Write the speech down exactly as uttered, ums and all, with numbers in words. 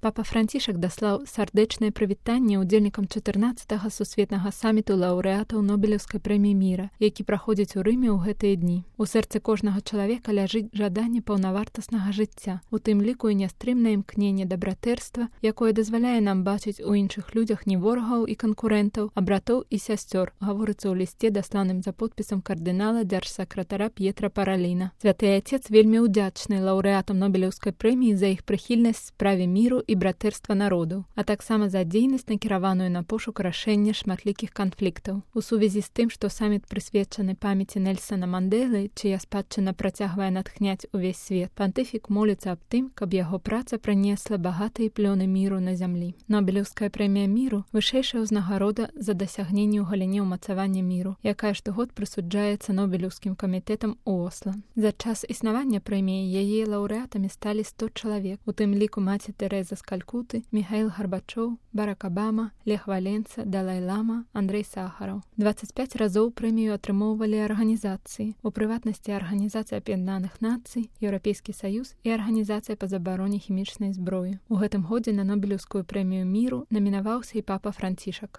Папа Францішак даслаў сардэчнае прывітанне ўдзельнікам чатырнаццатага сусветнага саміту лаўрэатаў Нобелеўскай прэміі міра, які праходзіць у Рыме ў гэтыя дні. У сэрцы кожнага чалавека ляжыць жаданне паўнавартаснага жыцця, у тым ліку і нястрымнае імкненне да братэрства, якое дазваляе нам бачыць у іншых людзях не ворагаў і канкурэнтаў, а братоў і сясцёр, гаворыцца ў лісце, дасланым за подпісам кардынала дзяржсакратара П'етра Параліна. Святы Айцец вельмі ўдзячны лаўрэатам Нобелеўскай прэміі за іх прыхільнасць справе міру і братэрства народаў, а таксама за дзейнасць, накіраваную на пошук рашэння шматлікіх канфліктаў. У сувязі з тым, што саміт прысвечаны памяці Нельсана Мандэлы, чыя спадчына працягвае натхняць увесь свет, пантыфік моліцца аб тым, каб яго праца прынесла багатыя плёны міру на зямлі. Нобелеўская прэмія міру – вышэйшая ўзнагарода за дасягненне ў галіне ўмацавання міру, якая штогод прысуджаецца Нобелеўскім камітэтам у Осла. За час існавання прэміі яе лаўрэатамі сталі сто чалавек, у тым ліку маці Тэрэза з Калькуты, Міхаіл Гарбачоў, Барак Абама, Лех Валенца, Далай-лама, Андрэй Сахараў. дваццаць пяць разоў прэмію атрымоўвалі арганізацыі, у прыватнасці Арганізацыя Аб'яднаных Нацый, Еўрапейскі Саюз і Арганізацыя па забароне хімічнай зброі. У гэтым годзе на Нобелеўскую прэмію міру намінаваўся і папа Францішак.